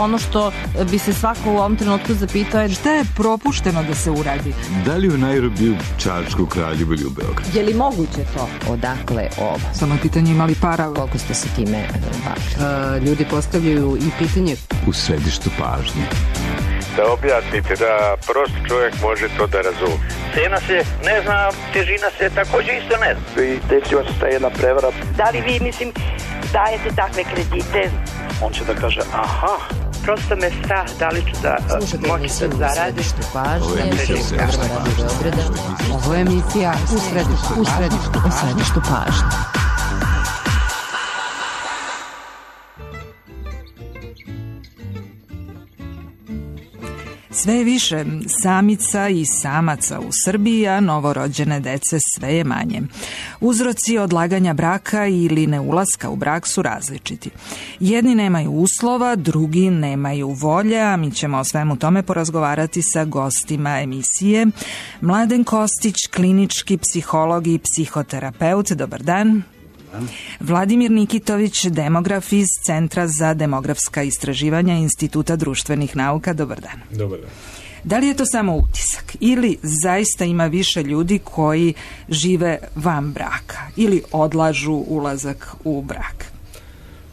ono što bi se svako u ovom trenutku zapitao je šta je propušteno da se uradi? Da li u Nairobiju, Čačku, Kraljevu ili u Beogradu? Je li moguće to? Odakle ovo? Samo je pitanje imali para. Koliko ste se time bavili? Ljudi postavljaju i pitanje u središtu pažnje. Da objasnite, da prost čovjek može to da razumije. Cena se ne zna, težina se također isto ne zna. I desila se ta jedna prevara. Da li vi, dajete takve kredite? On će da kaže, aha. Prosto me strah, da li ću da moći da zaradim. Ovo je emisija u središtu pažnje. Sve je više samica i samaca u Srbiji, a novorođene dece sve je manje. Uzroci odlaganja braka ili neulaska u brak su različiti. Jedni nemaju uslova, drugi nemaju volje, a mi ćemo o svemu tome porazgovarati sa gostima emisije. Mladen Kostić, klinički psiholog i psihoterapeut. Dobar dan. Vladimir Nikitović, demograf iz Centra za demografska istraživanja Instituta društvenih nauka. Dobar dan. Dobar dan. Da li je to samo utisak ili zaista ima više ljudi koji žive van braka ili odlažu ulazak u brak?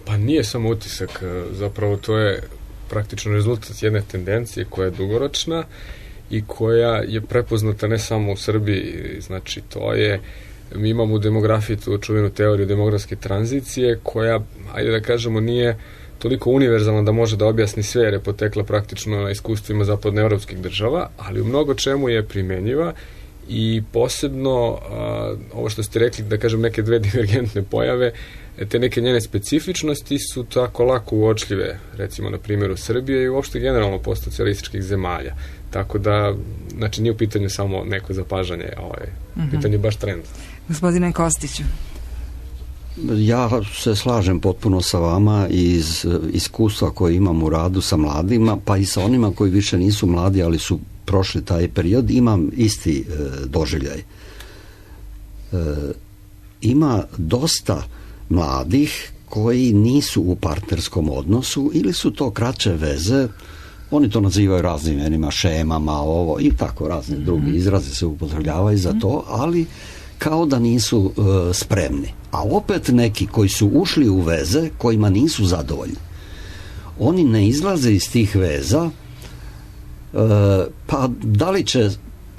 Pa nije samo utisak, zapravo to je praktično rezultat jedne tendencije koja je dugoročna i koja je prepoznata ne samo u Srbiji, znači to je. Mi imamo u demografiji tu čuvenu teoriju demografske tranzicije koja, ajde da kažemo, nije toliko univerzalna da može da objasni sve jer je potekla praktično na iskustvima zapadnoevropskih država, ali u mnogo čemu je primenjiva i posebno ovo što ste rekli, da kažem, neke dve divergentne pojave, te neke njene specifičnosti su tako lako uočljive, recimo na primjeru Srbije i uopšte generalno postsocijalističkih zemalja. Tako da, znači, nije u pitanju samo neko zapažanje, pitanje je baš trend. Gospodine Kostiću. Ja se slažem potpuno sa vama iz iskustva koje imam u radu sa mladima, pa i sa onima koji više nisu mladi, ali su prošli taj period, imam isti doživljaj. Ima dosta mladih koji nisu u partnerskom odnosu ili su to kraće veze, oni to nazivaju raznim imenima, šemama, ovo i tako razni drugi izrazi se upotrebljavaju za to, ali kao da nisu spremni. A opet neki koji su ušli u veze kojima nisu zadovoljni. Oni ne izlaze iz tih veza, pa da li će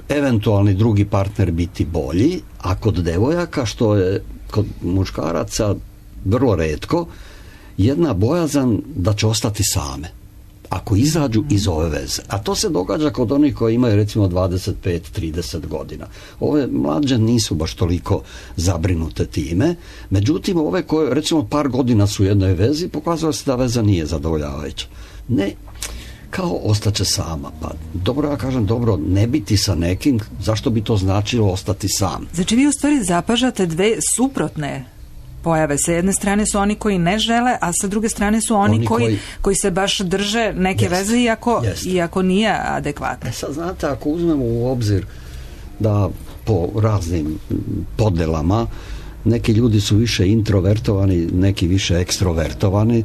eventualni drugi partner biti bolji, a kod devojaka, što je kod muškaraca vrlo retko, jedna bojazan da će ostati same ako izađu iz ove veze. A to se događa kod onih koji imaju recimo 25-30 godina. Ove mlađe nisu baš toliko zabrinute time. Međutim, ove koje recimo par godina su u jednoj vezi, pokazalo se da veza nije zadovoljavajuća. Ne, kao ostaće sama. Pa dobro, ja kažem, dobro, ne biti sa nekim, zašto bi to značilo ostati sam? Znači vi u stvari zapažate dve suprotne pojave. Sa jedne strane su oni koji ne žele, a sa druge strane su oni koji se baš drže neke veze iako nije adekvatno. Sad znate, ako uzmemo u obzir da po raznim podelama neki ljudi su više introvertovani, neki više ekstrovertovani,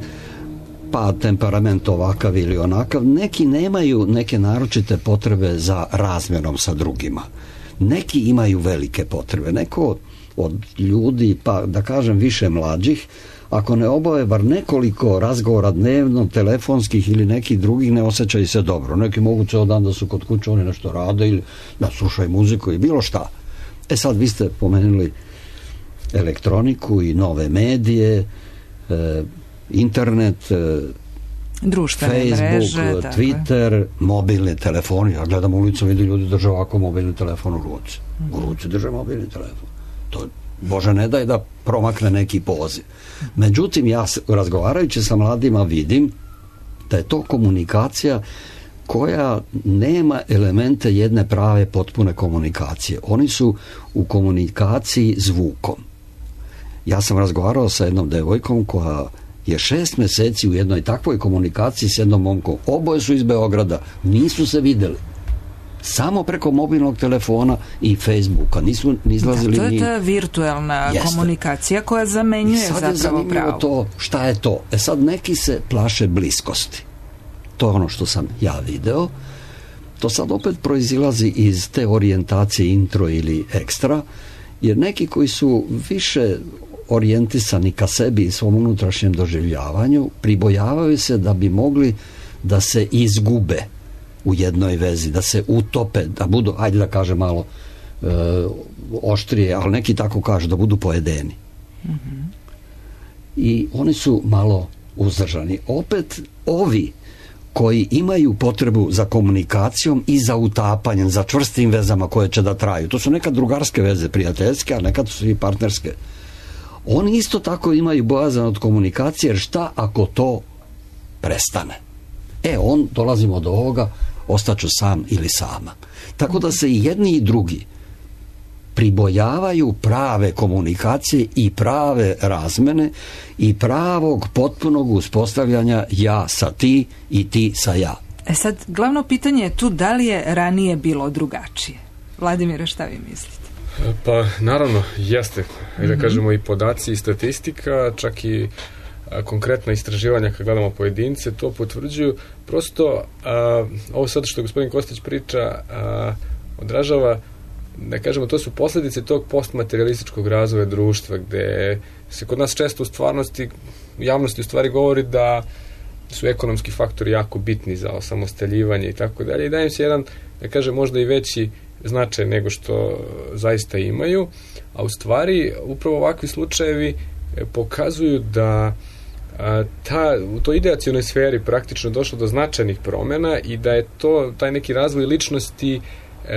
pa temperament ovakav ili onakav, neki nemaju neke naročite potrebe za razmjerom sa drugima. Neki imaju velike potrebe. Neko od ljudi, pa da kažem više mlađih, ako ne obave bar nekoliko razgovora dnevno, telefonskih ili nekih drugih, ne osjećaju se dobro. Neki mogu ceo dan da su kod kuće, oni nešto rade ili da slušaju muziku i bilo šta. E sad, vi ste pomenuli elektroniku i nove medije, internet, društvene Facebook, mreže, Twitter, mobilni telefoni. Ja gledam ulicu, vidim ljudi drže ovako mobilni telefon u ruci. U ruci drže mobilni telefon. To, Bože ne daj da promakne neki poziv. Međutim, ja razgovarajući sa mladima vidim da je to komunikacija koja nema elemente jedne prave potpune komunikacije. Oni su u komunikaciji zvukom. Ja sam razgovarao sa jednom devojkom koja je 6 mjeseci u jednoj takvoj komunikaciji s jednom momkom. Oboje su iz Beograda, nisu se vidjeli. Samo preko mobilnog telefona i Facebooka. Nisu ni izlazili. To je ta virtualna komunikacija koja zamenjuje zapravo pravo. To, šta je to? Sad neki se plaše bliskosti. to je ono što sam ja video. To sad opet proizilazi iz te orijentacije intro ili ekstra, jer neki koji su više orijentisani ka sebi i svom unutrašnjem doživljavanju pribojavaju se da bi mogli da se izgube u jednoj vezi, da se utope, da budu, ajde da kažem malo oštrije, ali neki tako kažu, da budu pojedeni. I oni su malo uzdržani. Opet ovi koji imaju potrebu za komunikacijom i za utapanjem, za čvrstim vezama koje će da traju. To su nekad drugarske veze, prijateljske, a nekad su i partnerske. Oni isto tako imaju bojazan od komunikacije, jer šta ako to prestane? Dolazimo do ovoga, ostaću sam ili sama. Tako da se i jedni i drugi pribojavaju prave komunikacije i prave razmene i pravog potpunog uspostavljanja ja sa ti i ti sa ja. Sad, glavno pitanje je tu da li je ranije bilo drugačije. Vladimire, šta vi mislite? Pa, naravno, jeste. Da kažemo i podaci i statistika, čak i konkretna istraživanja kad gledamo pojedince, to potvrđuju. Prosto, ovo sad što gospodin Kostić priča, odražava, da kažemo, to su posljedice tog postmaterialističkog razvoja društva, gde se kod nas često u javnosti u stvari govori da su ekonomski faktori jako bitni za osamostaljivanje i tako dalje, i daje im se jedan, da kažem, možda i veći značaj nego što zaista imaju, a u stvari upravo ovakvi slučajevi pokazuju da u toj ideacionoj sferi praktično došlo do značajnih promjena i da je taj neki razvoj ličnosti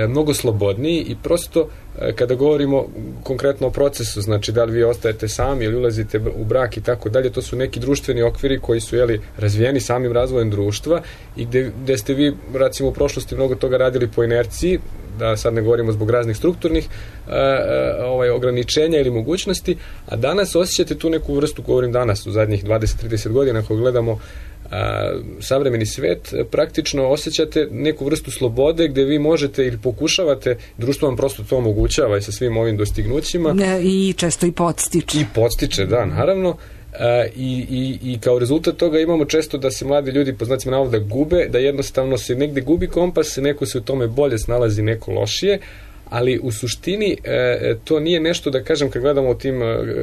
mnogo slobodniji i prosto kada govorimo konkretno o procesu, znači da li vi ostajete sami ili ulazite u brak i tako dalje, to su neki društveni okviri koji su razvijeni samim razvojem društva i gde ste vi recimo u prošlosti mnogo toga radili po inerciji, da sad ne govorimo zbog raznih strukturnih ograničenja ili mogućnosti, a danas osjećate tu neku vrstu, govorim danas u zadnjih 20-30 godina ako gledamo savremeni svet, praktično osjećate neku vrstu slobode gde vi možete ili pokušavate, društvo vam prosto to omogućava i sa svim ovim dostignućima. I često i podstiče. I podstiče, da, naravno. I kao rezultat toga imamo često da se mladi ljudi, po znacima navoda, gube, da jednostavno se negde gubi kompas, neko se u tome bolje snalazi, neko lošije, ali u suštini to nije nešto, da kažem, kad gledamo o tim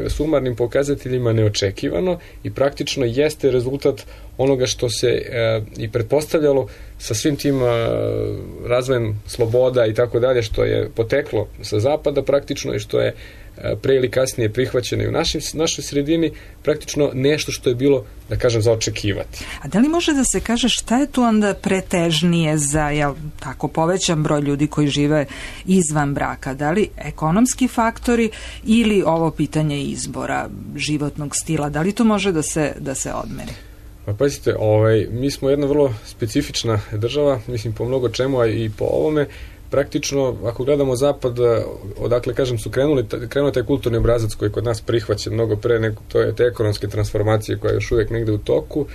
sumarnim pokazateljima, neočekivano i praktično jeste rezultat onoga što se i pretpostavljalo sa svim tim razvojem sloboda i tako dalje, što je poteklo sa zapada praktično i što je pre ili kasnije prihvaćeno i u našoj sredini, praktično nešto što je bilo, da kažem, za očekivati. A da li može da se kaže šta je tu onda pretežnije za tako povećan broj ljudi koji žive izvan braka? Da li ekonomski faktori ili ovo pitanje izbora, životnog stila? Da li to može da se odmeri? Pa pazite, mi smo jedna vrlo specifična država, mislim po mnogo čemu, a i po ovome. Praktično, ako gledamo zapad, odakle, kažem, su krenuo taj kulturni obrazac koji je kod nas prihvaćen mnogo pre nego te ekonomske transformacije koja je još uvijek negde u toku,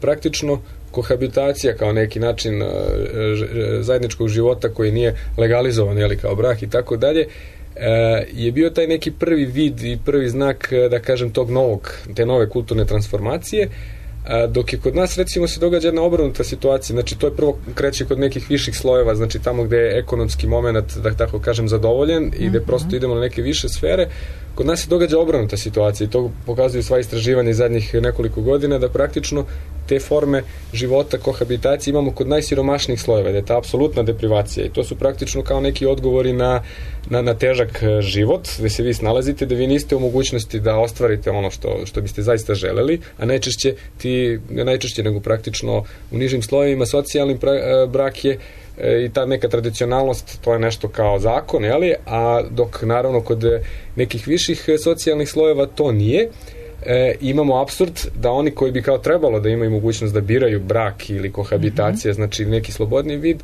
praktično kohabitacija kao neki način zajedničkog života koji nije legalizovan, kao brak i tako dalje, je bio taj neki prvi vid i prvi znak, da kažem, te nove kulturne transformacije. Dok je kod nas, recimo, se događa jedna obrnuta situacija, znači to je prvo kreće kod nekih viših slojeva, znači tamo gde je ekonomski moment, da tako kažem, zadovoljen i gde prosto idemo na neke više sfere, kod nas se događa obrnuta situacija i to pokazuju sva istraživanja iz zadnjih nekoliko godina, da praktično te forme života, kohabitacije imamo kod najsiromašnijih slojeva, da je ta apsolutna deprivacija i to su praktično kao neki odgovori na težak život, gde se vi snalazite, da vi niste u mogućnosti da ostvarite ono što biste zaista želeli, a najčešće nego praktično u nižim slojevima socijalni brak je i ta neka tradicionalnost, to je nešto kao zakon, a dok naravno kod nekih viših socijalnih slojeva to nije. Imamo apsurd da oni koji bi kao trebalo da imaju mogućnost da biraju brak ili kohabitacija, znači neki slobodni vid,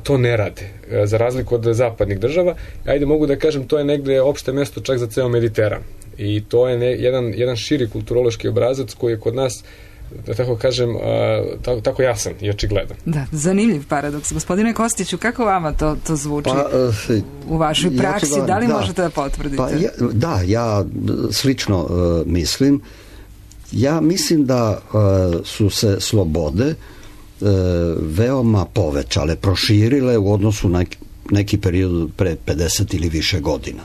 to ne rade, za razliku od zapadnih država. Ajde, mogu da kažem, to je negde opšte mesto čak za ceo Mediteran i to je jedan širi kulturološki obrazac koji je kod nas, da tako kažem, tako jasan i očigledan. Da, zanimljiv paradoks. Gospodine Kostiću, kako vama to zvuči u vašoj praksi? Da li možete da potvrdite? Ja slično mislim. Ja mislim da su se slobode veoma povećale, proširile u odnosu na neki period pre 50 ili više godina.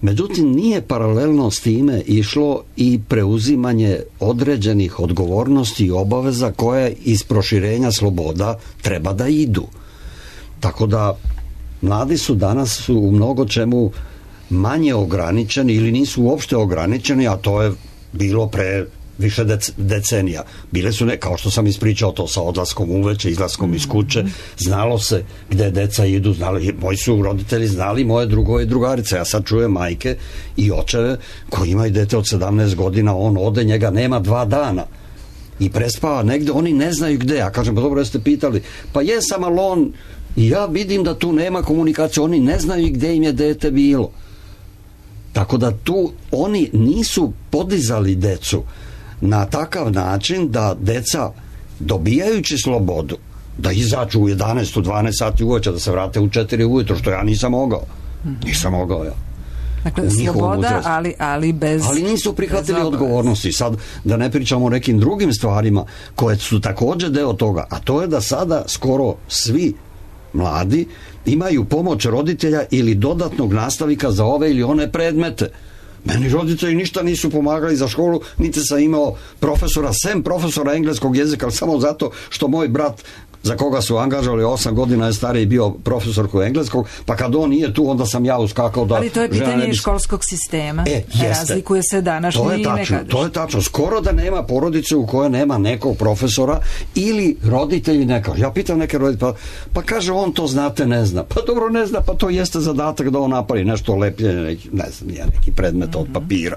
Međutim, nije paralelno s time išlo i preuzimanje određenih odgovornosti i obaveza koje iz proširenja sloboda treba da idu. Tako da mladi su danas u mnogo čemu manje ograničeni ili nisu uopšte ograničeni, a to je bilo pre više decenija. Bile su kao što sam ispričao to sa odlaskom uveče, izlaskom iz kuće, znalo se gde deca idu, moji su roditelji znali moje drugove i drugarice. Ja sad čujem majke i očeve koji imaju dete od 17 godina, on ode, njega nema 2 dana i prespava negde, oni ne znaju gde. Ja kažem, pa dobro, jeste pitali, pa jesam, ali on, i ja vidim da tu nema komunikacije, oni ne znaju gde im je dete bilo. Tako da tu oni nisu podizali decu na takav način da deca, dobijajući slobodu, da izađu u 11, 12 sati uveče, da se vrate u 4 ujutro, što ja nisam mogao. Nisam mogao ja. Dakle, sloboda, ali bez... Ali nisu prihvatili odgovornosti. Sad, da ne pričamo o nekim drugim stvarima koje su također deo toga, a to je da sada skoro svi mladi imaju pomoć roditelja ili dodatnog nastavnika za ove ili one predmete. Meni roditelji ništa nisu pomagali za školu, niti sam imao profesora, sem profesora engleskog jezika, samo zato što moj brat, za koga su angažovali 8 godina je stariji, bio profesor engleskog, pa kad on nije tu, onda sam ja uskakao da... Ali to je pitanje školskog sistema. Razlikuje se današnji i nekadašnji. To je tačno. Skoro da nema porodice u kojoj nema nekog profesora ili roditelji neka. Ja pitam neke roditelje, pa kaže on to znate, ne zna. Pa dobro, ne zna, pa to jeste zadatak da on napravi nešto lepljenje, ne znam, neki predmet od papira.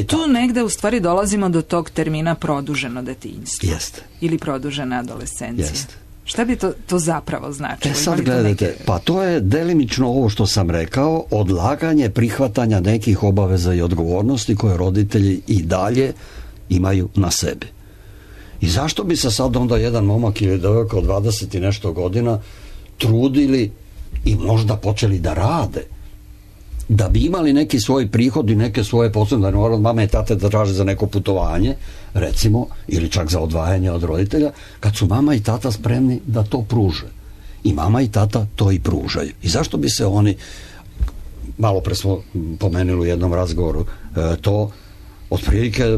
Tu negde u stvari dolazimo do tog termina produženo detinjstvo. Jeste. Ili produžena adolescencija. Jeste. Šta bi to zapravo značilo? Sad gledajte, pa to je delimično ovo što sam rekao, odlaganje prihvatanja nekih obaveza i odgovornosti koje roditelji i dalje imaju na sebi. I zašto bi se sad onda jedan momak ili devojka od 20 i nešto godina trudili i možda počeli da rade, da bi imali neki svoj prihod i neke svoje posebne, da ne mora od mame i tate da traže za neko putovanje, recimo, ili čak za odvajanje od roditelja, kad su mama i tata spremni da to pruže. I mama i tata to i pružaju. I zašto bi se oni, malo pre smo pomenuli u jednom razgovoru, to otprilike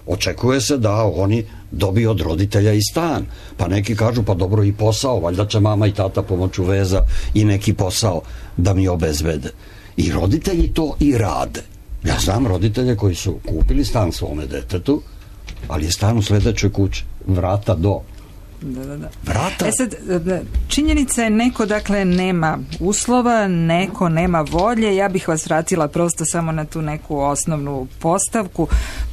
očekuje se da oni dobiju od roditelja i stan. Pa neki kažu, pa dobro, i posao, valjda će mama i tata pomoću veza i neki posao da mi obezbede. I roditelji to i rade. Ja znam roditelje koji su kupili stan svome detetu, ali je stan u sledećoj kući, vrata do. Da. Vrata. Sad, činjenica je neko, dakle, nema uslova, neko nema volje. Ja bih vas vratila prosto samo na tu neku osnovnu postavku.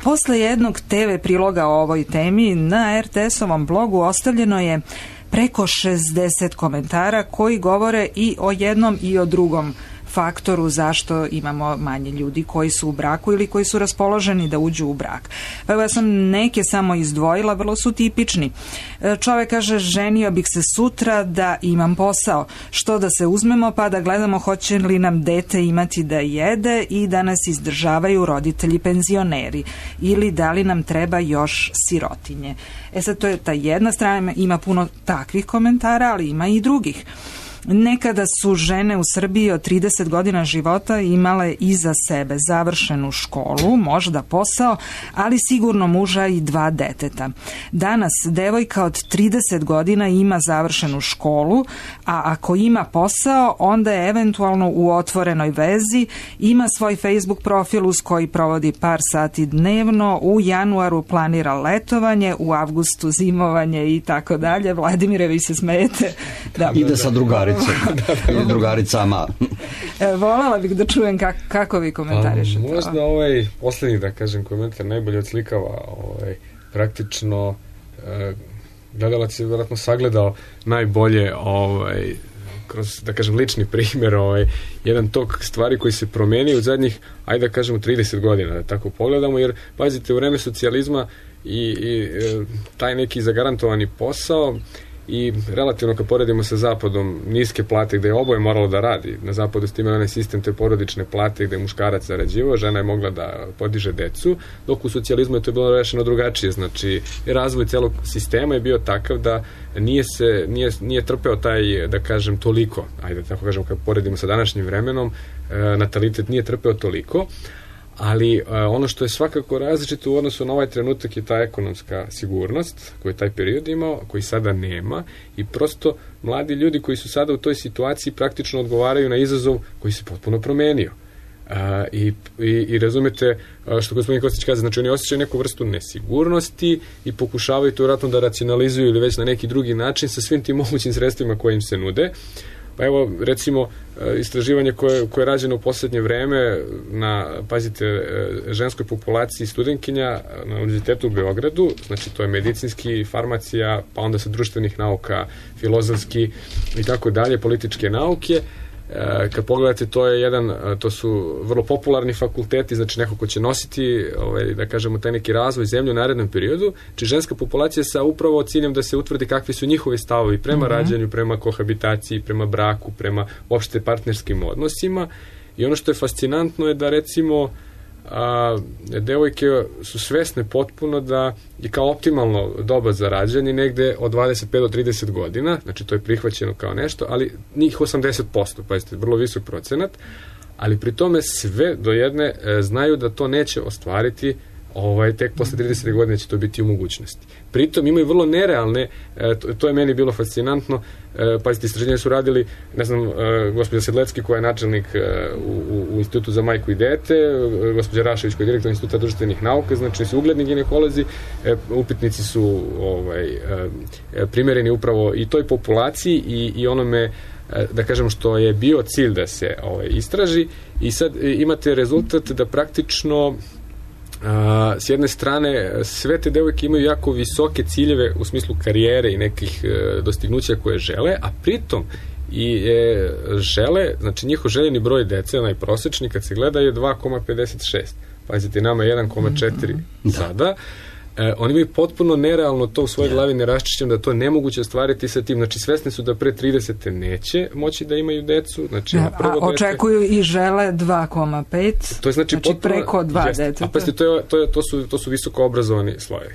Posle jednog TV priloga o ovoj temi na RTS-ovom blogu ostavljeno je preko 60 komentara koji govore i o jednom i o drugom faktoru zašto imamo manje ljudi koji su u braku ili koji su raspoloženi da uđu u brak. Pa ja sam neke samo izdvojila, vrlo su tipični. Čovek kaže, ženio bih se sutra da imam posao. Što da se uzmemo pa da gledamo hoće li nam dete imati da jede i da nas izdržavaju roditelji penzioneri ili da li nam treba još sirotinje. Sad to je ta jedna strana, ima puno takvih komentara, ali ima i drugih. Nekada su žene u Srbiji od 30 godina života imale iza sebe završenu školu, možda posao, ali sigurno muža i 2 deteta. Danas devojka od 30 godina ima završenu školu, a ako ima posao, onda je eventualno u otvorenoj vezi, ima svoj Facebook profil uz koji provodi par sati dnevno, u januaru planira letovanje, u avgustu zimovanje i tako dalje. Vladimire, vi se smejete. Da. Ide sa drugaricom. Drugaricama. Voljela bih da čujem kako vi komentarišete. Možda ovaj poslednji, da kažem, komentar najbolje odslikava praktično gledalac je vjerojatno sagledao najbolje kroz, da kažem, lični primjer jedan tok stvari koji se promenio u zadnjih, ajde da kažemo, 30 godina, da tako pogledamo, jer pazite, u vreme socijalizma i taj neki zagarantovani posao i relativno kad poredimo sa zapadom niske plate gde je oboje moralo da radi. Na zapadu ste imali onaj sistem te porodične plate gde je muškarac zarađivao, žena je mogla da podiže decu, dok u socijalizmu je to bilo rešeno drugačije. Znači, razvoj celog sistema je bio takav da nije trpeo taj, da kažem, toliko, ajde tako kažem, kad poredimo sa današnjim vremenom, natalitet nije trpeo toliko, ali ono što je svakako različito u odnosu na ovaj trenutak je ta ekonomska sigurnost koju je taj period imao, koji sada nema, i prosto mladi ljudi koji su sada u toj situaciji praktično odgovaraju na izazov koji se potpuno promenio. I razumete što gospodin Kostić kaže, znači oni osjećaju neku vrstu nesigurnosti i pokušavaju to vjerojatno da racionalizuju ili već na neki drugi način sa svim tim mogućim sredstvima koje im se nude. Pa evo, recimo, istraživanje koje je rađeno u poslednje vreme na, pazite, ženskoj populaciji studentkinja na Univerzitetu u Beogradu, znači to je medicinski, farmacija, pa onda sa društvenih nauka, filozofski i tako dalje, političke nauke. Kad pogledate, to su vrlo popularni fakulteti, znači neko ko će nositi, da kažemo, taj neki razvoj zemlje u narednom periodu, či ženska populacija sa upravo ciljem da se utvrdi kakvi su njihovi stavovi prema rađanju, prema kohabitaciji, prema braku, prema uopšte partnerskim odnosima. I ono što je fascinantno je da, recimo, devojke su svesne potpuno da je kao optimalno doba za rađanje negde od 25 do 30 godina, znači to je prihvaćeno kao nešto, ali njih 80%, pazite, vrlo visok procenat, ali pri tome sve do jedne znaju da to neće ostvariti tek posle 30 godina će to biti u mogućnosti. Pritom imaju vrlo nerealne, to je meni bilo fascinantno, pazite, istraženje su radili, ne znam, gospođa Sedlecki koja je načelnik u Institutu za majku i dete, gospođa Rašević koja je direktor Instituta društvenih nauka, znači su ugledni ginekolozi, upitnici su primereni upravo i toj populaciji i onome, da kažem, što je bio cilj da se istraži, i sad imate rezultat da praktično s jedne strane sve te devojke imaju jako visoke ciljeve u smislu karijere i nekih dostignuća koje žele, a pritom i žele, znači njihov željeni broj dece, onaj prosečni kad se gleda, je 2,56. Pazite, nama je 1,4 sada. Oni imaju potpuno nerealno to u svojoj glavi neraščišćeno da to nemoguće ostvariti sa tim. Znači, svesni su da pre 30. neće moći da imaju decu. Znači, a očekuju i žele 2,5. To je znači preko 2 deteta. A pazite, to su visoko obrazovani slojevi.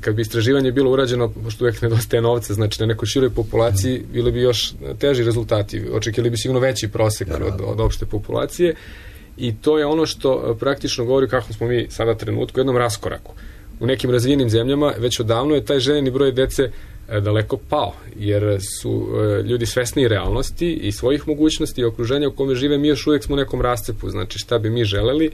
Kad bi istraživanje bilo urađeno, pošto uvijek nedostaje novca, znači na nekoj široj populaciji, bili bi još teži rezultati. Očekivali bi sigurno veći prosek od opšte populacije. I to je ono što praktično govori kako smo mi sada trenutku u jednom raskoraku. U nekim razvijenim zemljama već odavno je taj željeni broj dece daleko pao, jer su ljudi svesni realnosti i svojih mogućnosti i okruženja u kome žive. Mi još uvijek smo u nekom rascepu, znači šta bi mi želeli,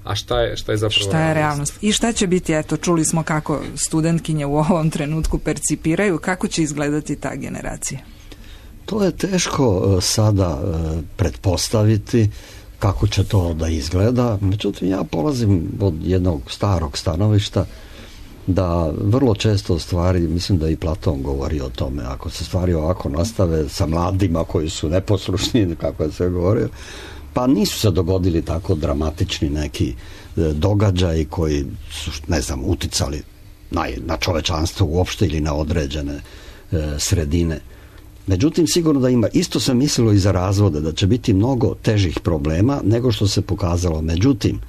a šta je zapravo šta je realnost. I šta će biti, eto, čuli smo kako studentkinje u ovom trenutku percipiraju, kako će izgledati ta generacija? To je teško sada pretpostaviti kako će to da izgleda. Međutim, ja polazim od jednog starog stanovišta da vrlo često stvari, mislim da i Platon govori o tome, ako se stvari ovako nastave sa mladima koji su neposlušni, kako je sve govorio, pa nisu se dogodili tako dramatični neki događaji koji su, ne znam, uticali na čovečanstvo uopšte ili na određene sredine. Međutim, sigurno da ima, isto sam mislilo i za razvode, da će biti mnogo težih problema nego što se pokazalo. Međutim,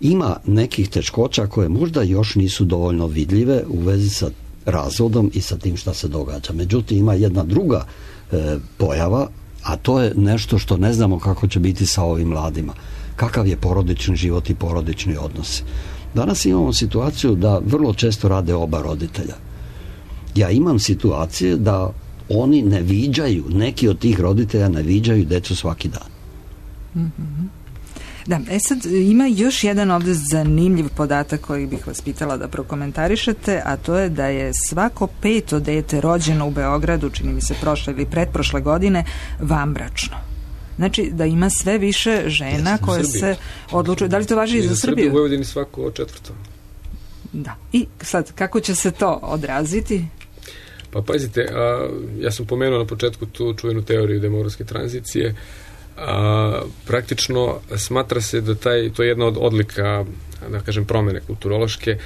ima nekih teškoća koje možda još nisu dovoljno vidljive u vezi sa razvodom i sa tim šta se događa. Međutim, ima jedna druga pojava, a to je nešto što ne znamo kako će biti sa ovim mladima. Kakav je porodični život i porodični odnosi. Danas imamo situaciju da vrlo često rade oba roditelja. Ja imam situacije da oni ne viđaju, neki od tih roditelja ne viđaju decu svaki dan. Da, sad ima još jedan ovdje zanimljiv podatak koji bih vas pitala da prokomentarišete, a to je da je svako 5. dete rođeno u Beogradu, čini mi se prošle ili pretprošle godine, vanbračno. Znači da ima sve više žena koje se odlučuju. Da li to važi i za Srbiju? U Vojvodini svako 4. Da. I sad, kako će se to odraziti? Pa pazite, ja sam pomenuo na početku tu čuvenu teoriju demografske tranzicije. praktično smatra se da to je jedna od odlika, da kažem, promene kulturološke,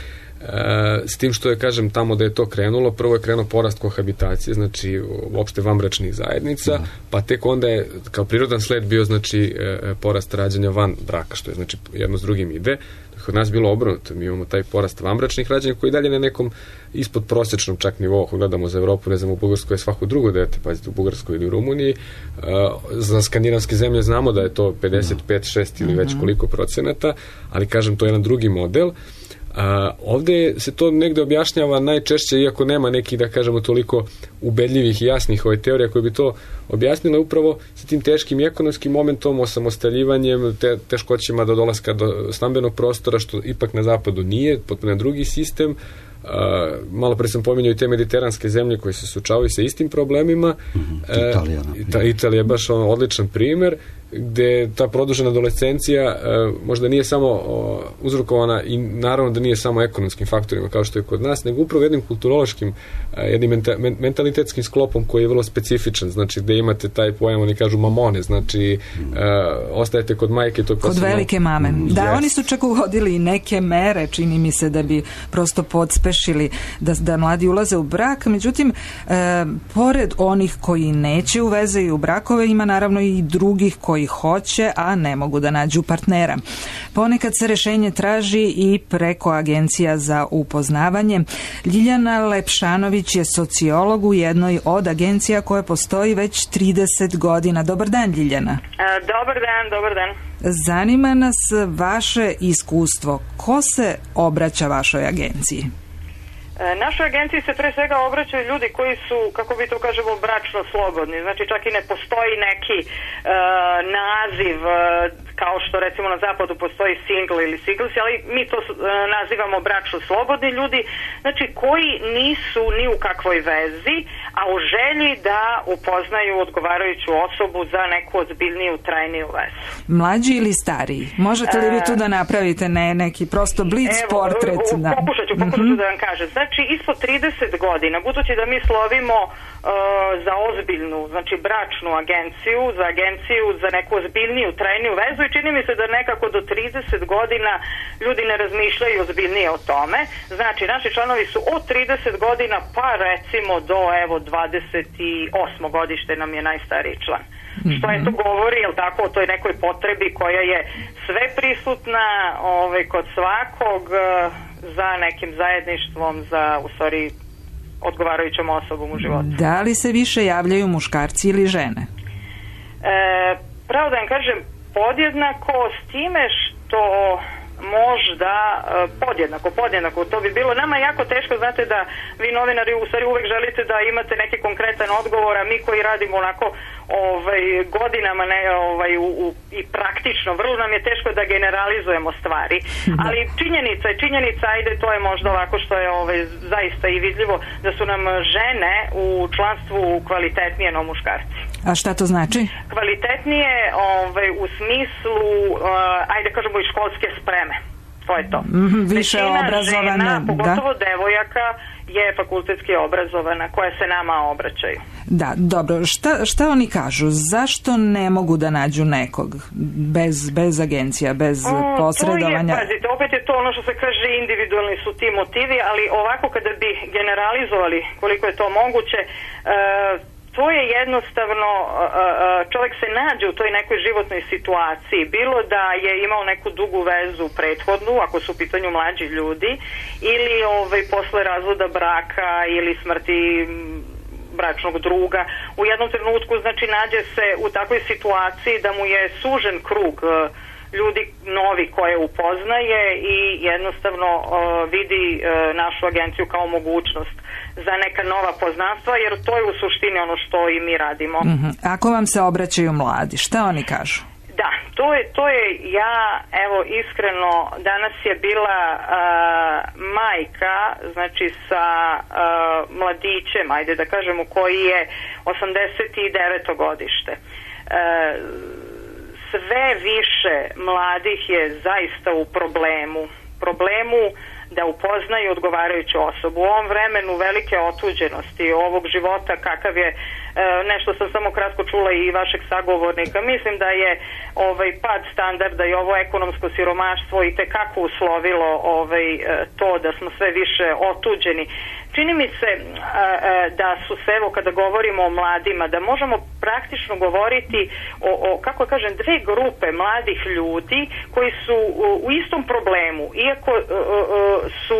s tim što je, kažem, tamo da je to krenulo, prvo je krenuo porast kohabitacije, znači uopšte vanbračnih zajednica, pa tek onda je kao prirodan sled bio, znači, porast rađanja van braka, što je, znači, jedno s drugim ide. Kod nas bilo obrnuto, mi imamo taj porast vanbračnih rađanja koji dalje na nekom ispod prosječnom čak nivou, ako gledamo za Evropu, ne znam, u Bugarskoj je svako drugo dete, pazite, u Bugarskoj ili u Rumuniji, za skandinavske zemlje znamo da je to 55, 6 ili već koliko procenata, ali, kažem, to je jedan drugi model. Ovde se to negde objašnjava najčešće, iako nema nekih, da kažemo, toliko ubedljivih i jasnih teorija koje bi to objasnile, upravo sa tim teškim ekonomskim momentom, osamostaljivanjem, teškoćima do dolaska do stambenog prostora, što ipak na zapadu nije, potpuno drugi sistem. Malo pre sam pominjao i te mediteranske zemlje koje se suočavaju sa istim problemima. Italija je baš odličan primer, gde ta produžena adolescencija možda nije samo uzrokovana i naravno da nije samo ekonomskim faktorima kao što je kod nas, nego upravo jednim kulturološkim, jednim mentalitetskim sklopom koji je vrlo specifičan, znači gde imate taj pojam, oni kažu mamone, znači ostajete kod majke, to je kod velike mame. Da, oni su čak uvodili i neke mere, čini mi se, da bi prosto podspešili da mladi ulaze u brak, međutim, pored onih koji neće u veze i u brakove, ima naravno i drugih koji hoće, a ne mogu da nađu partnera. Ponekad se rešenje traži i preko agencija za upoznavanje. Ljiljana Lepšanović je sociolog u jednoj od agencija koja postoji već 30 godina. Dobar dan, Ljiljana. Dobar dan. Zanima nas vaše iskustvo. Ko se obraća vašoj agenciji? Našoj agenciji se pre svega obraćaju ljudi koji su, kako bi to kažemo, bračno slobodni. Znači čak i ne postoji neki naziv kao što recimo na zapadu postoji single ili singles, ali mi to nazivamo bračno slobodni ljudi, znači koji nisu ni u kakvoj vezi, a u želji da upoznaju odgovarajuću osobu za neku ozbiljniju, trajniju vezu. Mlađi ili stariji? Možete li vi tu da napravite neki prosto blic portret? Pokušat ću da vam kažem. Znači, ispod 30 godina, budući da mi slovimo za ozbiljnu, znači bračnu agenciju, za agenciju za neku ozbiljniju, trajniju vezu i čini mi se da nekako do 30 godina ljudi ne razmišljaju ozbiljnije o tome. Znači, naši članovi su od 30 godina pa recimo do 28. godište nam je najstariji član. Što je to govori, jel tako, o toj nekoj potrebi koja je sve prisutna kod svakog za nekim zajedništvom, za u stvari odgovarajućom osobom u životu. Da li se više javljaju muškarci ili žene? Pravo da vam kažem, podjednako, s time što možda podjednako, to bi bilo nama jako teško, znate da vi novinari u stvari uvek želite da imate neki konkretan odgovor, a mi koji radimo onako godinama i praktično, vrlo nam je teško da generalizujemo stvari, ali činjenica, ajde, to je možda ovako što je zaista i vidljivo, da su nam žene u članstvu kvalitetnije no muškarci. A šta to znači? Kvalitetnije u smislu, ajde kažemo, i školske spreme. To je to. Više obrazovane. Žena, pogotovo devojaka, je fakultetski obrazovana, koja se nama obraćaju. Da, dobro. Šta oni kažu? Zašto ne mogu da nađu nekog bez agencija, bez posredovanja? Pazite, opet je to ono što se kaže, individualni su ti motivi, ali ovako kada bi generalizovali koliko je to moguće, to je jednostavno, čovjek se nađe u toj nekoj životnoj situaciji, bilo da je imao neku dugu vezu prethodnu, ako su u pitanju mlađi ljudi, ili posle razvoda braka ili smrti bračnog druga. U jednom trenutku, znači, nađe se u takvoj situaciji da mu je sužen krug ljudi novi koje upoznaje i jednostavno vidi našu agenciju kao mogućnost za neka nova poznanstva, jer to je u suštini ono što i mi radimo. Ako vam se obraćaju mladi, šta oni kažu? Da, to je evo iskreno, danas je bila majka, znači sa mladićem, ajde da kažemo, koji je 89. godište. Sve više mladih je zaista u problemu da upoznaju odgovarajuću osobu. U ovom vremenu velike otuđenosti ovog života kakav je, nešto sam samo kratko čula i vašeg sagovornika, mislim da je pad standarda i ovo ekonomsko siromaštvo i tekako uslovilo to da smo sve više otuđeni. Čini mi se da su se, evo kada govorimo o mladima, da možemo praktično govoriti o kako kažem, dve grupe mladih ljudi koji su u istom problemu, iako su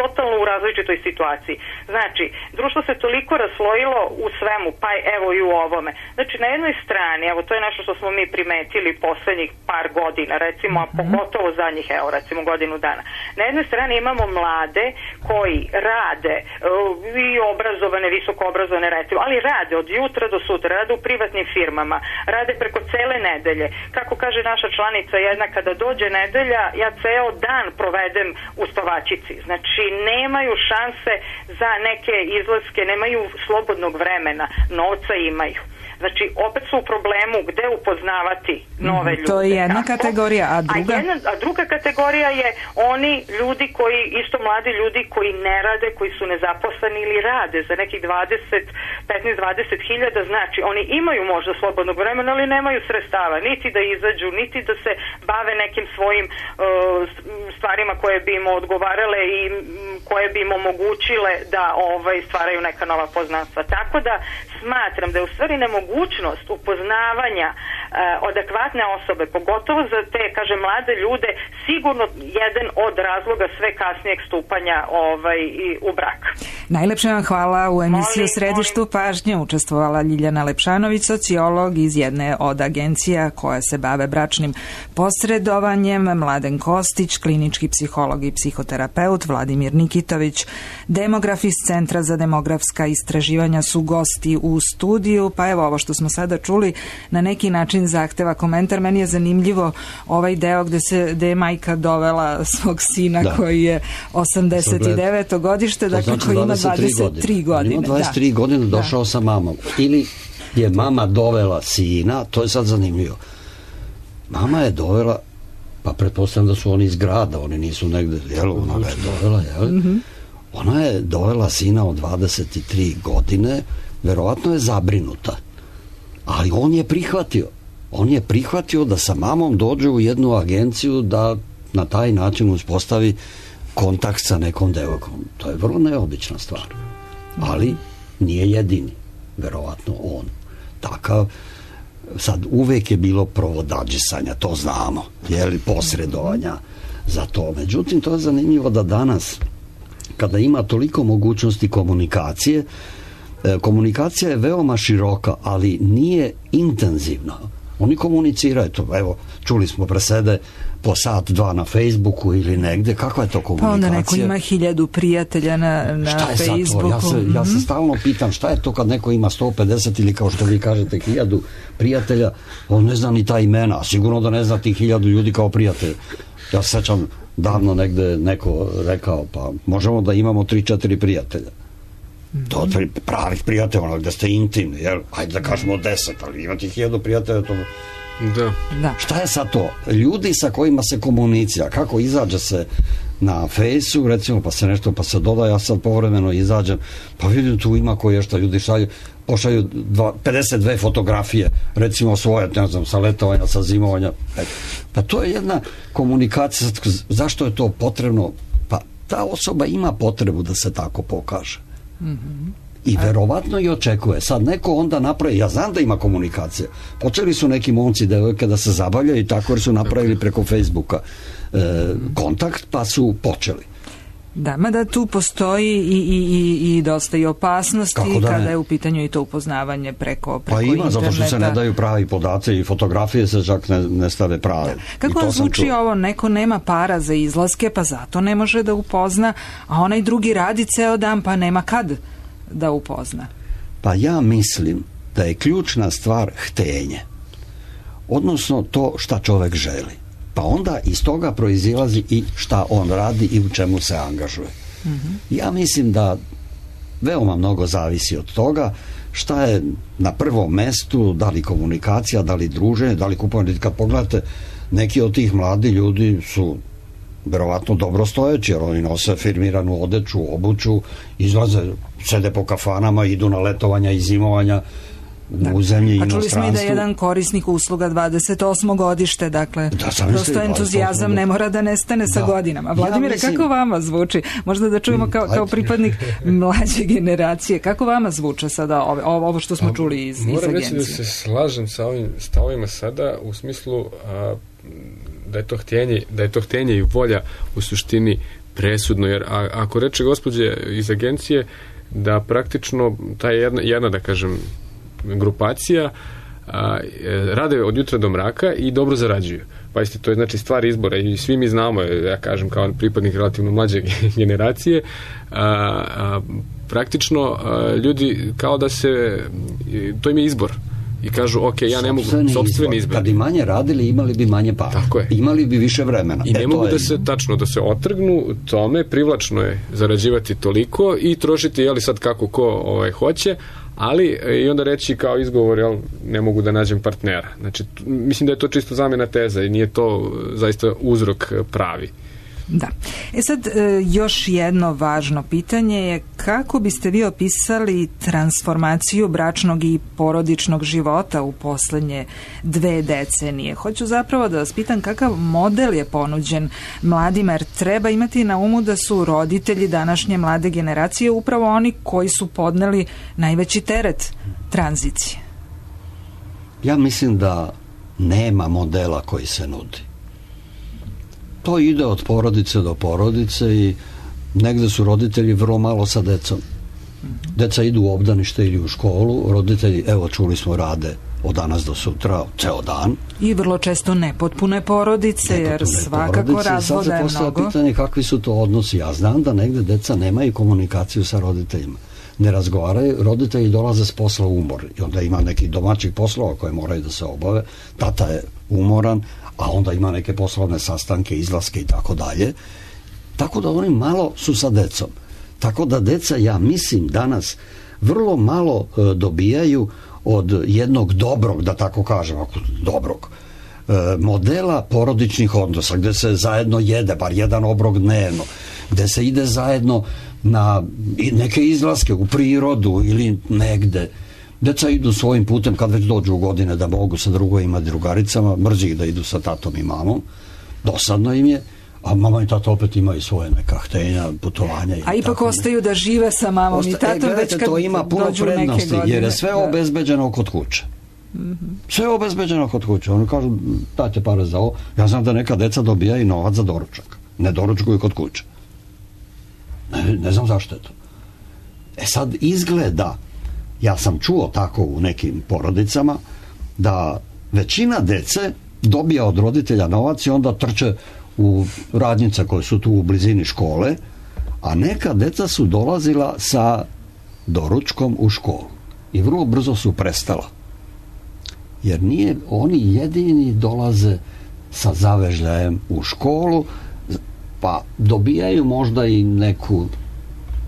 totalno u različitoj situaciji. Znači, društvo se toliko raslojilo u svemu, pa evo i u ovome. Znači, na jednoj strani, evo to je nešto što smo mi primetili poslednjih par godina, recimo, a pogotovo zadnjih, evo recimo godinu dana. Na jednoj strani imamo mlade koji rade i obrazovane, visoko obrazovane recimo, ali rade od jutra do sutra, rade u privatnim firmama, rade preko cele nedelje. Kako kaže naša članica jedna, kada dođe nedelja, ja ceo dan provedem u spavačici. Znači, nemaju šanse za neke izlaske, nemaju slobodnog vremena, novca imaju. Znači, opet su u problemu gde upoznavati nove ljude. To je jedna kategorija, a druga? A druga kategorija je oni ljudi koji, isto mladi ljudi koji ne rade, koji su nezaposleni ili rade za nekih 15-20 hiljada, znači oni imaju možda slobodnog vremena, ali nemaju sredstava, niti da izađu, niti da se bave nekim svojim stvarima koje bi im odgovarale i koje bi im omogućile da stvaraju neka nova poznanstva. Tako da smatram da je u stvari nemogućnost upoznavanja adekvatne osobe, pogotovo za te, kažem, mlade ljude, sigurno jedan od razloga sve kasnijeg stupanja u brak. Najlepše vam hvala. U emisiji U središtu pažnje učestvovala Ljiljana Lepšanović, sociolog iz jedne od agencija koja se bave bračnim posredovanjem, Mladen Kostić, klinički psiholog i psihoterapeut, Vladimir Nikitović, demograf iz Centra za demografska istraživanja su gosti u studiju. Pa evo, ovo što smo sada čuli na neki način zahteva komentar. Meni je zanimljivo ovaj deo gde je majka dovela svog sina koji je 89. godište, dakle koji ima 23 godine. Ima 23 godine došao sa mamom. Ili je mama dovela sina, to je sad zanimljivo. Mama je dovela, pa pretpostavljam da su oni iz grada, oni nisu negde, ona ga je dovela, ona je dovela sina od 23 godine, verovatno je zabrinuta. Ali on je prihvatio. On je prihvatio da sa mamom dođe u jednu agenciju da na taj način uspostavi kontakt sa nekom devojkom. To je vrlo neobična stvar. Ali nije jedini. Verovatno on. Takav. Sad, uvek je bilo provodadžisanja, to znamo. Posredovanja za to. Međutim, to je zanimljivo da danas, kada ima toliko mogućnosti komunikacije, komunikacija je veoma široka, ali nije intenzivna. Oni komuniciraju to. Evo, čuli smo presede po sat, dva na Facebooku ili negde. Kakva je to komunikacija? Pa onda neko ima 1000 prijatelja na Facebooku. Ja se stalno pitam šta je to kad neko ima 150 ili kao što vi kažete 1000 prijatelja, on ne zna ni ta imena. Sigurno da ne zna tih 1000 ljudi kao prijatelja. Ja se sećam davno negde neko rekao, pa možemo da imamo 3-4 prijatelja. To je pravih prijatelja, gde ste intimni, ajde da kažemo 10, ali imati 1000 prijatelja, to... Da. Šta je sad to? Ljudi sa kojima se komunicira, kako izađe se na fejsu, recimo, pa se nešto, pa se doda, ja sad povremeno izađem, pa vidim tu ima koje šta ljudi pošalju 52 fotografije, recimo svoje, ne znam, sa letovanja, sa zimovanja. Pa to je jedna komunikacija. Zašto je to potrebno? Pa ta osoba ima potrebu da se tako pokaže. I verovatno i očekuje. Sad neko onda napravi, ja znam da ima komunikacija. Počeli su neki momci, devojke da se zabavljaju i tako jer su napravili preko Facebooka kontakt, pa su počeli. Da, mada tu postoji i dosta i opasnosti kada je u pitanju i to upoznavanje preko pa ima, interneta. Zato što se ne daju pravi podaci i fotografije se čak ne stave prave. Da. Kako vam zvuči ovo, neko nema para za izlaske, pa zato ne može da upozna, a onaj drugi radi ceo dan, pa nema kad da upozna? Pa ja mislim da je ključna stvar htenje. Odnosno to šta čovek želi. Pa onda iz toga proizilazi i šta on radi i u čemu se angažuje. Ja mislim da veoma mnogo zavisi od toga šta je na prvom mestu, da li komunikacija, da li druženje, da li kupovanje. Kad pogledate, neki od tih mladi ljudi su verovatno dobro stojeći, jer oni nose firmiranu odeću, obuću, izlaze, sede po kafanama, idu na letovanja i zimovanja u zemlji i inostranstvu. A čuli smo i da je jedan korisnik usluga 28. godište, dakle, prosto entuzijazam ne mora da nestane sa godinama. Vladimire, kako vama zvuči? Možda da čujemo kao pripadnik mlađe generacije, kako vama zvuče sada ovo što smo čuli iz agencije? Moram reći da se slažem sa ovim stavovima sada u smislu da je to htjenje i volja u suštini presudno, jer ako reče gospođe iz agencije da praktično ta jedna da kažem grupacija rade od jutra do mraka i dobro zarađuju. Pa isto, to je znači stvar izbora i svi mi znamo, ja kažem kao pripadnik relativno mlađe generacije, praktično ljudi kao da se, to im je izbor. I kažu, ok, ja ne mogu, sopstveni izbor. Kad bi manje radili, imali bi manje para. Tako je. Imali bi više vremena. I ne mogu da se otrgnu tome, privlačno je zarađivati toliko i trošiti, jeli sad kako ko hoće, ali i onda reći kao izgovor, jel, ne mogu da nađem partnera. Znači, mislim da je to čisto zamjena teza i nije to zaista uzrok pravi. Da. Sad, još jedno važno pitanje je kako biste vi opisali transformaciju bračnog i porodičnog života u poslednje 2 decenije? Hoću zapravo da vas pitam kakav model je ponuđen mladima, jer treba imati na umu da su roditelji današnje mlade generacije upravo oni koji su podneli najveći teret tranzicije. Ja mislim da nema modela koji se nudi. To ide od porodice do porodice i negde su roditelji vrlo malo sa decom. Deca idu u obdanište ili u školu, roditelji, evo čuli smo, rade od danas do sutra, ceo dan. I vrlo često nepotpune porodice, jer svakako razvoda je mnogo. Sad se postavlja pitanje kakvi su to odnosi. Ja znam da negde deca nemaju komunikaciju sa roditeljima. Ne razgovaraju, roditelji dolaze s posla umor i onda ima nekih domaćih poslova koje moraju da se obave. Tata je umoran, a onda ima neke poslovne sastanke, izlaske i tako dalje. Tako da oni malo su sa decom. Tako da deca, ja mislim, danas vrlo malo dobijaju od jednog dobrog, da tako kažem, dobrog modela porodičnih odnosa, gde se zajedno jede, bar jedan obrok dnevno, gde se ide zajedno na neke izlaske u prirodu ili negde. Deca idu svojim putem kad već dođu u godine da mogu sa drugovima, drugaricama, mrzi ih da idu sa tatom i mamom, dosadno im je, a mama i tata opet imaju svoje neka htenja, putovanja. A ipak ostaju da žive sa mamom i tatom već kad to ima puno prednosti, jer je sve obezbeđeno kod kuće. Sve je obezbeđeno kod kuće. Oni kažu, dajte pare za ovo. Ja znam da neka deca dobijaju novac za doručak. Ne doručkuju kod kuće. Ne znam zašto je to. Sad izgleda, ja sam čuo tako u nekim porodicama, da većina dece dobija od roditelja novac i onda trče u radnjice koje su tu u blizini škole, a neka deca su dolazila sa doručkom u školu i vrlo brzo su prestala. Jer nije, oni jedini dolaze sa zavežljajem u školu, pa dobijaju možda i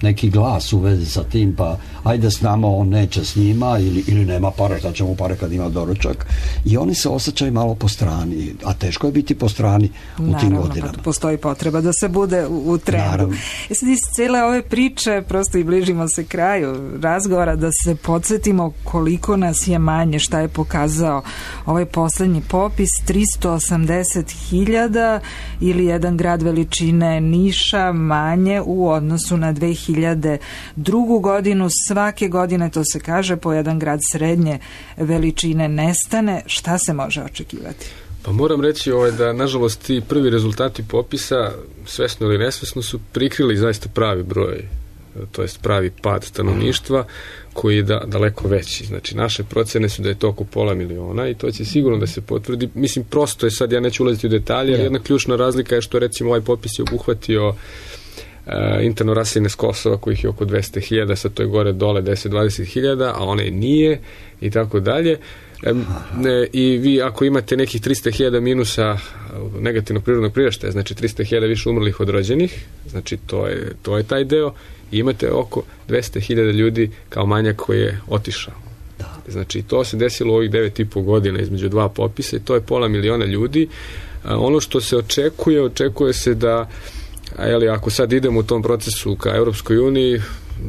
neki glas u vezi sa tim, pa ajde s nama, on neće s njima ili nema pare, šta će mu pare kad ima doručak, i oni se osjećaju malo po strani, a teško je biti po strani u tim godinama. Naravno, pa postoji potreba da se bude u trendu. Sad iz cijele ove priče, prosto i bližimo se kraju razgovora, da se podsjetimo koliko nas je manje, šta je pokazao ovaj poslednji popis, 380.000 ili jedan grad veličine Niša manje u odnosu na 2002. godinu. Svake godine, to se kaže, po jedan grad srednje veličine nestane. Šta se može očekivati? Pa moram reći da, nažalost, ti prvi rezultati popisa, svesno ili nesvesno, su prikrili zaista pravi broj, to jest pravi pad stanovništva, koji je daleko veći. Znači, naše procene su da je to oko 500.000 i to će sigurno da se potvrdi. Mislim, prosto je sad, ja neću ulaziti u detalje, ali jedna ključna razlika je što, recimo, ovaj popis je obuhvatio interno raseljene s Kosova, kojih je oko 200.000, sad to je gore dole 10-20.000, a one nije i tako dalje. I vi ako imate nekih 300.000 minusa negativnog prirodnog priraštaja, znači 300.000 više umrlih od rođenih, znači to je taj deo, i imate oko 200.000 ljudi kao manjak koji je otišao. Znači to se desilo u ovih 9,5 godina između dva popisa i to je 500.000 ljudi. Ono što se očekuje se da, ako sad idemo u tom procesu ka Europskoj uniji,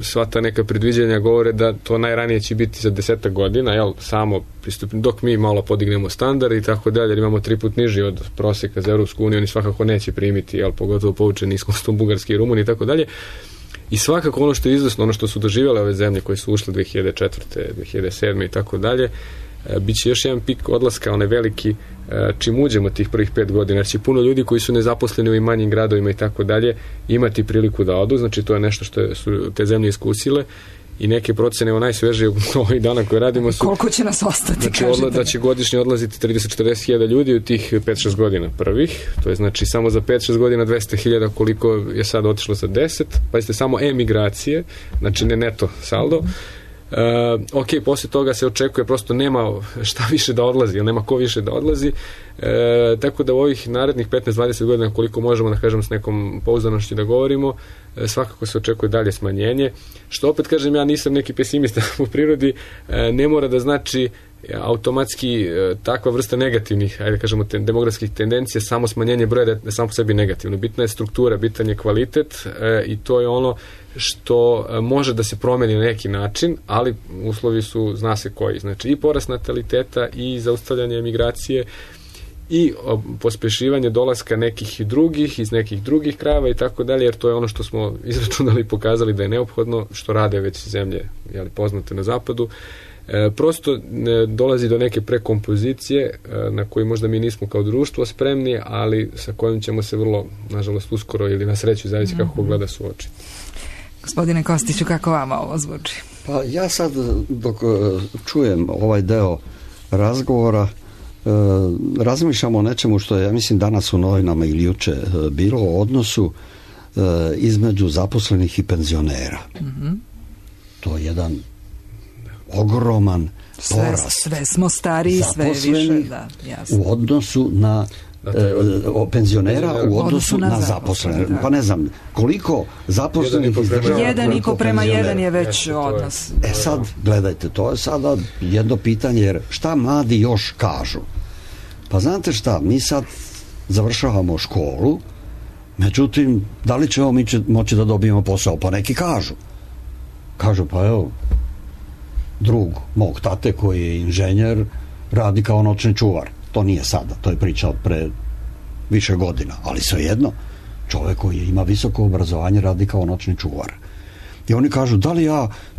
sva ta neka predviđanja govore da to najranije će biti za 10 godina, samo pristupni, dok mi malo podignemo standard i tako dalje, jer imamo 3 put niži od prosjeka za Europsku uniju, oni svakako neće primiti, pogotovo poučeni iskustvom Bugarske i Rumunije i tako dalje. I svakako ono što je izvesno, ono što su doživjele ove zemlje koje su ušle 2004. 2007. i tako dalje, bit će još jedan pik odlaska, onaj veliki, čim uđemo tih prvih 5 godina, jer će puno ljudi koji su nezaposleni u manjim gradovima i tako dalje imati priliku da odu, znači to je nešto što su te zemlje iskusile i neke procene, evo najsvežije ovih dana koje radimo su... Koliko će nas ostati, znači, da će godišnje odlaziti 30-40 hiljada ljudi u tih 5-6 godina prvih, to je znači samo za 5-6 godina 200 hiljada koliko je sad otišlo za 10, pazite, samo emigracije, znači ne neto saldo. Poslije toga se očekuje, prosto nema šta više da odlazi, ili nema ko više da odlazi, tako da u ovih narednih 15-20 godina, koliko možemo da kažem s nekom pouzdanošću da govorimo, svakako se očekuje dalje smanjenje, što opet kažem, ja nisam neki pesimista u prirodi, ne mora da znači automatski takva vrsta negativnih, ajde kažemo, demografskih tendencija, samo smanjenje broja da je samo po sebi negativno. Bitna je struktura, bitan je kvalitet i to je ono što može da se promeni na neki način, ali uslovi su, zna se koji, znači i porast nataliteta i zaustavljanje emigracije i pospešivanje dolaska nekih drugih iz nekih drugih krajeva i tako dalje, jer to je ono što smo izračunali i pokazali da je neophodno, što rade već zemlje poznate na zapadu. Prosto dolazi do neke prekompozicije na koju možda mi nismo kao društvo spremni, ali sa kojim ćemo se vrlo, nažalost, uskoro ili na sreću, zavisi kako gleda suočiti. Gospodine Kostiću, kako vama ovo zvuči? Pa ja sad, dok čujem ovaj deo razgovora, razmišljam o nečemu što je, ja mislim, danas u novinama ili juče bilo, o odnosu između zaposlenih i penzionera. To je jedan ogroman porast. Sve smo stariji, sve više, u odnosu na penzionera u odnosu na zaposlene. Pa ne znam, koliko zaposlenih izdržava... 1,5:1 je već odnos. Sad, gledajte, to je sada jedno pitanje, jer šta mladi još kažu? Pa znate šta, mi sad završavamo školu, međutim, da li ćemo mi moći da dobijemo posao? Pa neki kažu, pa evo, drug mog tate koji je inženjer radi kao noćni čuvar. To nije sada, to je priča od pre više godina, ali svejedno, čovjek koji ima visoko obrazovanje radi kao noćni čuvar. I oni kažu, da li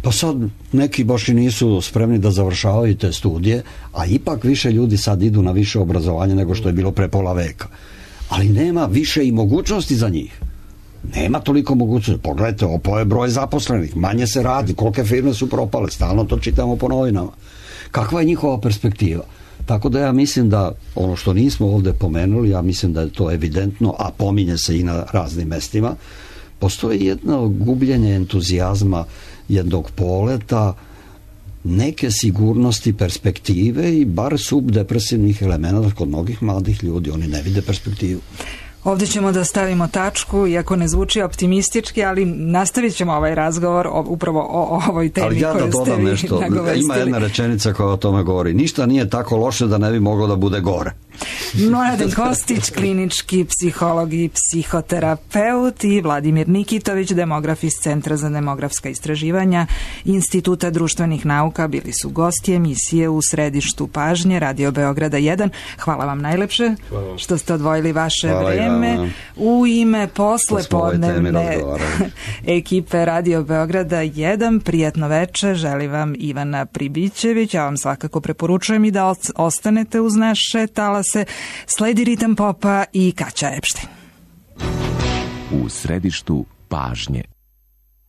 pa sad neki baš i nisu spremni da završavaju te studije, a ipak više ljudi sad idu na više obrazovanje nego što je bilo pre pola veka. Ali nema više i mogućnosti za njih. Nema toliko mogućnosti. Pogledajte, opao je broj zaposlenih, manje se radi, kolike firme su propale, stalno to čitamo po novinama. Kakva je njihova perspektiva? Tako da ja mislim da ono što nismo ovdje pomenuli, ja mislim da je to evidentno, a pominje se i na raznim mestima, postoji jedno gubljenje entuzijazma, jednog poleta, neke sigurnosti, perspektive i bar subdepresivnih elemenata kod mnogih mladih ljudi. Oni ne vide perspektivu. Ovdje ćemo da stavimo tačku, iako ne zvuči optimistički, ali nastavit ćemo ovaj razgovor upravo o ovoj temi koju ste vi nagovestili. Ali ja da dodam nešto, ima jedna rečenica koja o tome govori. Ništa nije tako loše da ne bi moglo da bude gore. Mladen Kostić, klinički psiholog i psihoterapeut, i Vladimir Nikitović, demograf iz Centra za demografska istraživanja Instituta društvenih nauka, bili su gosti emisije U središtu pažnje Radio Beograda 1. Hvala vam najlepše što ste odvojili vaše vreme. U ime poslepodnevne ekipe Radio Beograda 1 prijatno veče želi vam Ivana Pribićević. Ja vam svakako preporučujem i da ostanete uz naše talase. Sledi ritam popa i Kaća Epštajn. U središtu pažnje.